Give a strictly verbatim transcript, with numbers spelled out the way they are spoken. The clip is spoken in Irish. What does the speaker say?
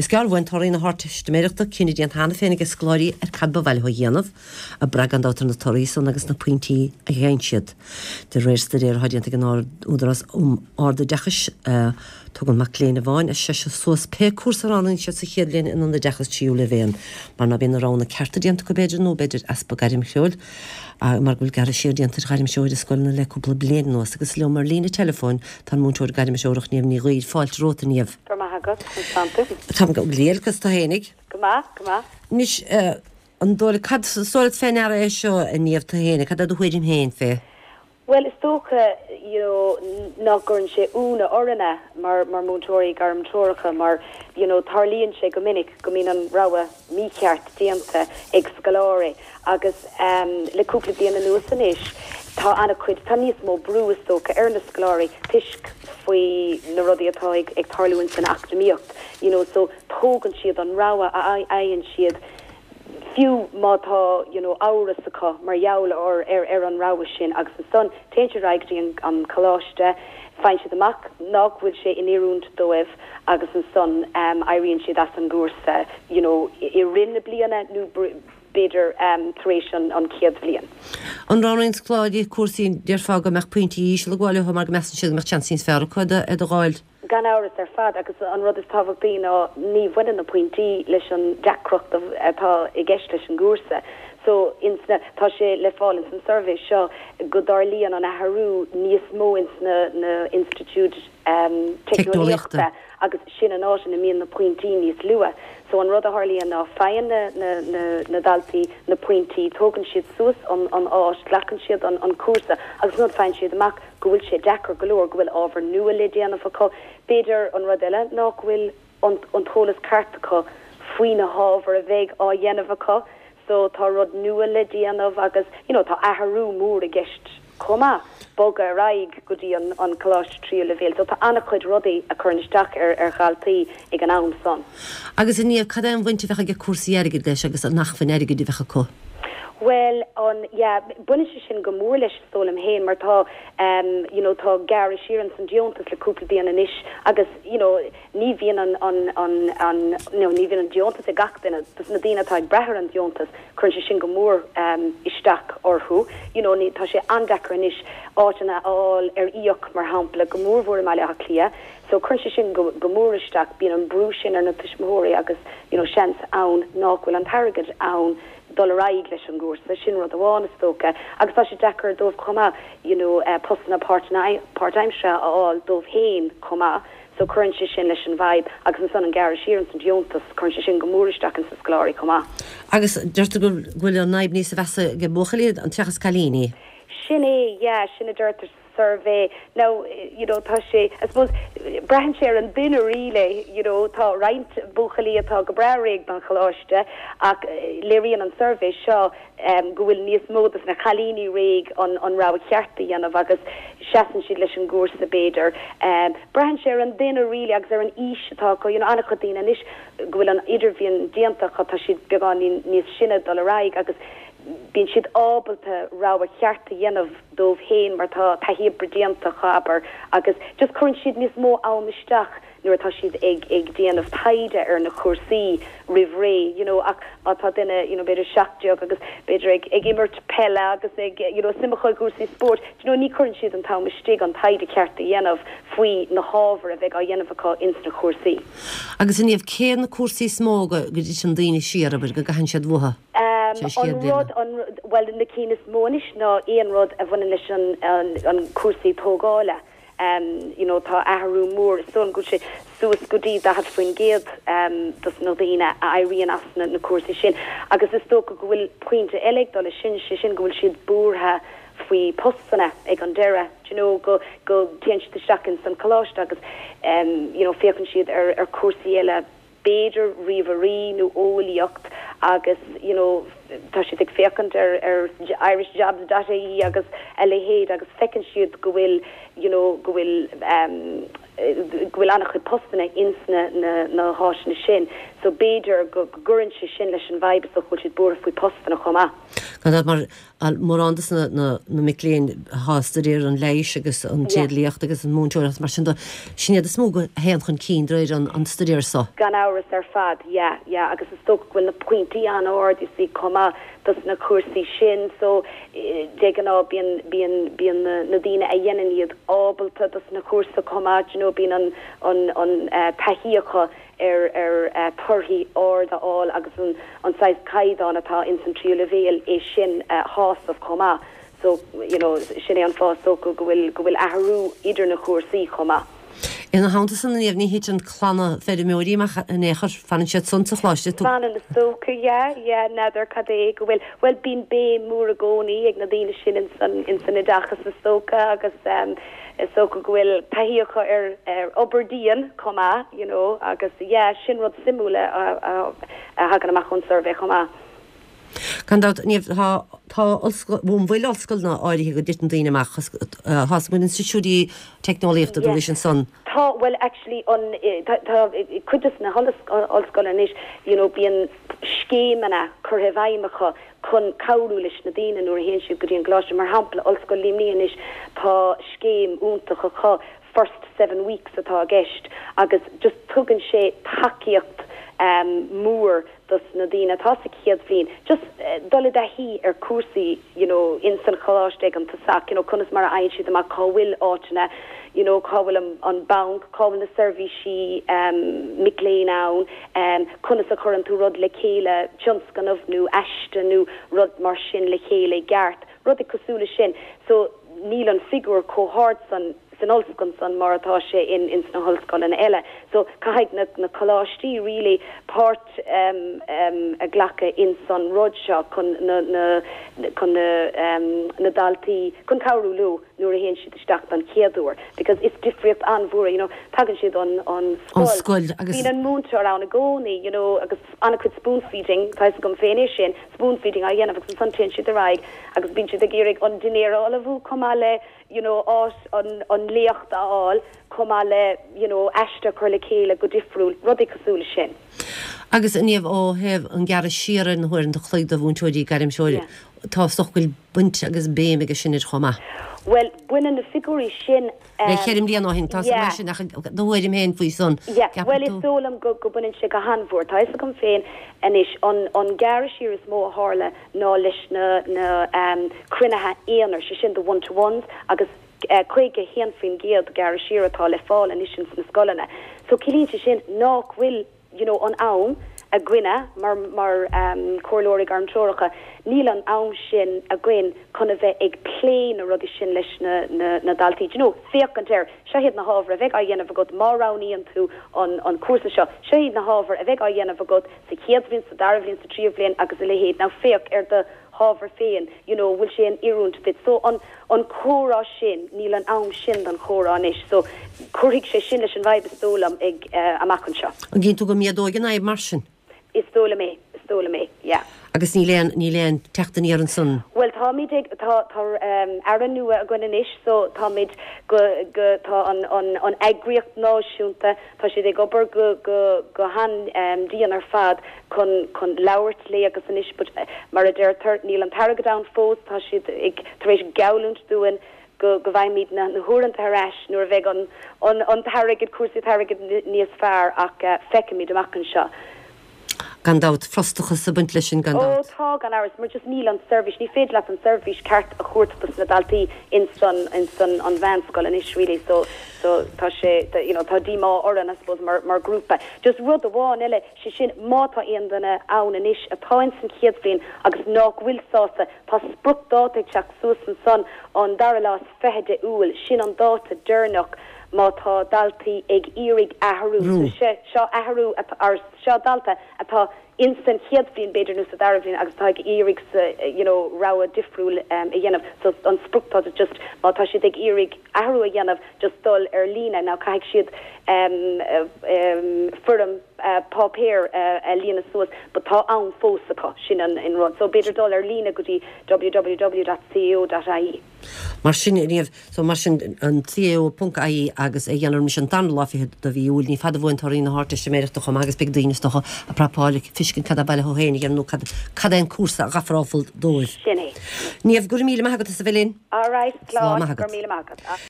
Is gearr uainn torthaí na hArdteistiméireachta, cinneadh déanta cheana féin ag scoláirí ar cad ba mhaith leo a dhéanamh, ag brath gan dabht ar na torthaí san agus na pointí a gheibheann siad. De réir staidéir atá déanta ag an Údarás um Ardoideachais, tugann mac léinn amháin as seisear suas pé cúrsa a roghnaíonn siad sa chéad bhliain in oideachas tríú leibhéal, mar ná bíonn na roghanna cearta déanta acu b'fhéidir nó b'fhéidir easpa gairmthreoir mar go bhfuil gearradh siar déanta ar ghairmthreoir i scoileanna le cúpla bliain anuas agus liom ar líne teileafóin tá an múinteoir gairmthreorach Niamh Ní Ghaoil. Fáilte romhat a Niamh. Go maith agat, conas tánn tú? Táim go diail conas tá fhéinig? Go maith, go maith. Anois, an dóigh cad is dóigh leat fé ndeara é seo a Niamh tú fhéinig, cad é do thuairim féin fé? Bhuel, is dócha, you know, nach gcuireann sé ionadh orainne mar mar múinteoirí gairmthreoracha mar, you know, tarlaíonn sé go minic go mbíonn an rogha mícheart déanta ag scoláirí agus um, le cúpla bliain anuas anois tá an-chuid tá níos mó brú is dócha ar na scoláirí toisc faoi na rudaí atá ag, ag tarlú san eacnamaíocht, you know, so tógann siad an rogha a fhaigheann siad fiú má tá you know, amhras acu mar gheall ar ar ar an rogha sin agus ansan téann siad go dtí an, an coláiste faigheann siad amach nach bhfuil sé in oiriúint dóibh agus ansan um, éiríonn siad as an gcúrsa you know, i rith na bliana nó b'fhéidir um, tar éis an, an chéad bhliain. An roghnaíonn scoláirí cúrsaí déarfá go mbeadh pointí íseal ag gabháil leo mar go measann siad go mbeadh seans níos fearr acu iad a fháil. Gan amhras ar fad agus an rud is tábhachtaí ná ní bhaineann na pointí leis an deacracht atá i gceist leis an gcúrsa. So insna tá sé le fáil ins an suirbhé seo go dtarlaíonn an athrú níos mó ins na, na institiúid um, teicneolaíochta agus sin an áit ina mbíonn na pointí níos lú. So an rud a tharlaíonn ná faigheann na, na, na, na daltaí na pointí, tógann siad suas an, an áis, glacann siad an, an cúrsa agus nuair faigheann siad amach go bhfuil sé deacair go leor go bhfuil ábhar nua le déanamh acu. B'fhéidir an rud eile ná go bhfuil an, an t-eolas ceart acu faoi na hábhair a bheidh á dhéanamh acu, so tá rud nua le déanamh agus you know, tá athrú mór i gceist chomh maith bogadh ar aghaidh go dtí an, an coláiste tríú leibhéal, so tá an-chuid rudaí a chuireann isteach ar ar dhaltaí ag an am san. Agus a Niamh cad é an bhaint a bheadh ag cúrsaí airgid leis agus an acmhainn airgid a bheadh acu. Well an yeah, baineann sé sin go mór leis is dóigh liom féin mar tá um, you know, tá gearradh siar an san deontas le cúpla bliain anois agus you know, ní bhíonn an an an an no, ní bhíonn an deontas ag gach duine dus na daoine atá ag brath ar an deontas cuireann sé sin go mór um, isteach orthu you know, ní, tá sé an-deacair anois áiteanna a fháil ar íoc mar shampla go mórmhór i mBaile Átha Cliath so cuireann sé sin go, go mór isteach bíonn an brú sin ar na tuismitheoirí agus you know, seans ann nach bhfuil an t-airgead ann dul ar aghaidh leis an gcúrsa sin rud amháin is dócha agus tá sé deacair dóibh chomh maith you know, uh, postanna páirtaimseartha a fháil dóibh féin chomh maith so cuireann sé sin leis an bhfadhb agus ansan an gearradh siar an deontas cuireann sé sin go mór isteach an sa scoláirí chomh maith. Agus deirtear go bhfuil an fhadhb níos measa ag buachaillí an seachas cailíní. Sin é yeah, sin a deirtear suirbhé now you know tá sé I suppose braitheann sé ar an duine really you know tá roinnt buachaillí atá go breá réidh don choláiste ach léiríonn an suirbhé seo um, go bhfuil níos mó dos na cailíní réidh an an rogha cheart a dhéanamh agus seasann siad leis an gcúrsa b'fhéidir. Um, braitheann sé ar an duine really agus ar an aois atá acu you know, an-chuid daoine anois go bhfuil an idirbhliain déanta tá siad beagán níos sine dul ar aghaidh agus bíonn siad ábalta rogha cheart a dhéanamh dóibh féin mar tá taithí oibre déanta acu agus just cuireann siad níos mó am isteach nuair atá siad ag ag déanamh taighde ar na cúrsaí roimh ré you know ach má tá duine you know b'fhéidir seacht déag agus b'fhéidir ag ag imirt peile agus ag you know suim acu i gcúrsaí spóirt you know ní chuireann siad an t-am istigh an taighde ceart a dhéanamh faoi na hábhair a bheidh á dhéanamh acu ins na cúrsaí. Agus a Niamh cé na cúrsaí is mó go go dtiteann daoine siar abair go gcaitheann siad uathu. Um, an rud an well na cinn is mó anois ná aon rud a bhaineann leis an, an, an cúrsaí tógála. Um, you know, tá athrú mór so go sé suas go dtí daichead faoin gcéad um, dos na daoine a éiríonn as na, na cúrsaí sin. Agus is dócha go bhfuil pointe eile ag dul sin sé sin go bhfuil siad buartha faoi postanna ag an deireadh you know go go dtéann siad isteach in san coláiste agus um, you know, féachann siad ar, ar cúrsaí eile b'fhéidir ríomhairí nó eolaíocht agus you know tá siad ag féachaint ar ar irishjobs.ie agus a leithéid agus feiceann siad go bhfuil you know go bhfuil um, go bhfuil an-chuid postanna ins na na, na háiteanna sin so b'fhéidir go gcuireann sé sin leis an bhfadhb so bhfuil siad buartha faoi postanna chomh maith. Gan mar Mórán dos na, na, na mic léinn atá ag staidéar an leighis agus an tréidliacht agus an múinteoireacht mar sin de, sin iad is mó a théann chun cinn de réir an, an staidéar so. Gan amhras ar fad, yeah, yeah, agus is dócha go bhfuil na pointí an-ard you see chomh maith dos na cúrsaí sin so de ghnáth bíonn bíonn bíonn na, na daoine a dhéanann iad ábalta dos na cúrsa chomh maith, you know, bíonn an an an uh, taithí acu ar ar uh, torthaí ard a fháil agus an an saghas caighdeán atá in san tríú leibhéal é sin uh, shásamh chomh maith. So you know, sin é an fáth so go bhfuil go bhfuil athrú idir na cúrsaí chomh maith. Ina theannta san Niamh ní thiteann clanna feirmeoirí amach in aon chor fanann siad san sa choláiste tú. Fanann is dócha yeah, yeah, n'fheadar cad é go bhfuil well bíonn béim mór i gcónaí ag na daoine sin in san in san oideachas is dócha agus um, is dócha go bhfuil taithí acu ar ar obair dian chomh maith, you know, agus yeah, sin rud suimiúil a, a, a thagann amach ón suirbhé chomh maith. Gan dabht Niamh tá tá bhfuil ollscoileanna áirithe go dtiteann daoine amach tá mun institiúidí teicneolaíochta Yeah. leis an san. Tá well actually an tá tá cuid de na hollscoileanna anois you know bíonn scéimeanna curtha i bhfeidhm acu chun cabhrú leis na daoine nuair a théann siad go dtí an coláiste mar shampla Ollscoil Luimnigh anois tá scéim iontach acu first seven weeks atá i gceist agus just tugann sé tacaíocht um, mór dos na daoine atá sa chéad bhliain just uh, dul i dtaithí ar cúrsaí you know in san choláiste ag an tosach you know conas mar a fhaigheann siad amach cá bhfuil áiteanna you know cá bhfuil an, an banc cá bhfuil na seirbhísí um, mic léinn ann um, conas a chuireann tú rud le chéile tionscnamh nó aiste nó rud mar sin le chéile i gceart rudaí cosúil le sin so níl an figiúr chomh hard san san ollscoil san mar atá sé in in sna hollscoileanna eile. So caithfidh na, na coláistí really páirt um, um, a ghlacadh in san rud seo chun na, na, chun na, um, na daltaí chun cabhrú leo nuair a théann siad isteach don chéad uair because is difríocht an-mhór you know tagann siad an an An scoil agus- Bíonn an múinteoir ann i gcónaí you know agus an-chuid spoon feeding tá gom féin é sin spoon feeding á dhéanamh agus ansan téann siad ar aghaidh agus bíonn siad ag iarraidh an dinnéar a ullmhú chomh maith le you know áit an an léacht a fháil chomh maith le you know aiste chur le chéile go difriúil rudaí cosúil le sin. Agus Niamh ó thaobh an gearradh siar na huaireanta an chloig do mhúinteoirí gairmthreoirí Yeah. tá sochfuil buint agus béim aige sin ar chomh maith. Well baineann na figiúirí sin Le um, ceithre bliana ó shin tá yeah. sin ach do thuairim féin faoi san. Yeah, well is dóigh liom go go mbaineann sé go han-mhór Tá fhios agam féin anois an an gearradh siar is mó a tharla ná leis na na um, cruinnithe aonair sé sin the one to ones agus uh, caoga haon faoin gcéad gearradh siar atá le fáil anois sin sna scoileanna. So ciallaíonn sé sin nach bhfuil you know, an am againne mar mar um, comhairleoirí gairmthreoracha níl an am sin againn chun a bheith ag plé na rudaí sin leis na, na, na daltaí. You know, féachaint air seo iad na hábhair a bheidh á dhéanamh agat má roghnaíonn tú an, an cúrsa seo. Seo iad na hábhair a bheidh á dhéanamh agat sa chéad bhliain sa dara bhliain sa tríú bhliain agus a leithéid ná féach ar do hábhar féin, you know, bhfuil sé in oiriúint duit. So an an comhrá sin níl an am sin don chomhrá anois, so cuirfidh sé sin leis an bhfadhb is dóigh liom ag uh, amach anseo. An gcíonn tú go méadóidh an fhadhb mar sin. Is dóigh liom é, is dóigh liom é, yeah. Agus níl aon níl aon teacht aniar ansan. Well táimid ag tá tá um, aire nua againn anois so táimid go go tá an an an eagraíocht náisiúnta tá siad ag obair go go go han um, dian ar fad chun chun labhairt le agus anois but eh, mar a deirtear níl an t-airgead ann fós tá siad ag tar éis geallúint dúinn go go bhfaighimid na na huaireanta ar ais nuair a bheidh an an an t-airgead cúrsaí airgid níos fearr ach uh, feicfimid amach anseo. Gan dabht frustrachas ag baint leis sin gan Ó dabht. tá gan amhras mar just níl an seirbhís ní féidir leat an seirbhís ceart a thabhairt dos na daltaí in san in san an mheánscoil anois really so so tá sé tá, you know tá díomá orainn I suppose mar mar grúpa. Just rud amháin eile sé sin má tá aon duine ann anois atá in san chéad bhliain agus nach bhfuil sásta tá spriocdháta ag teacht suas ansan an dara lá is fiche de Iúil sin an dáta deireanach má tá daltaí ag iarraidh athrú Rú. so sé seo athrú atá- ar seo dalta atá in san chéad bhliain b'fhéidir nó sa dara bhliain agus tá ag iarraidh sa you know rogha difriúil um, a dhéanamh so an spriocdháta just má tá siad ag iarraidh athrú a dhéanamh just dul ar líne ná caithfidh siad um, uh, um, foirm uh, páipéir uh, a líonadh suas but tá am fós acu sin an in rud so b'fhéidir dul ar líne go dtí www.cao.ie. Mar sin Niamh, so mar sin an CAO ponc IE agus é dhéanamh roimis an dara lá fichead de mhí Iúil, ní fada uainn torthaí na hArdteistiméireachta chomh maith agus beidh daoine is dócha ag prapáil ag feiscint cad ab áil leo féin a dhéanamh nó cad cad é an cúrsa a ghabhfar dóibh. Sin é. Niamh, go raibh míle maith agat as a bheith linn. All right, Slán slán, maith go agat. raibh míle maith agat.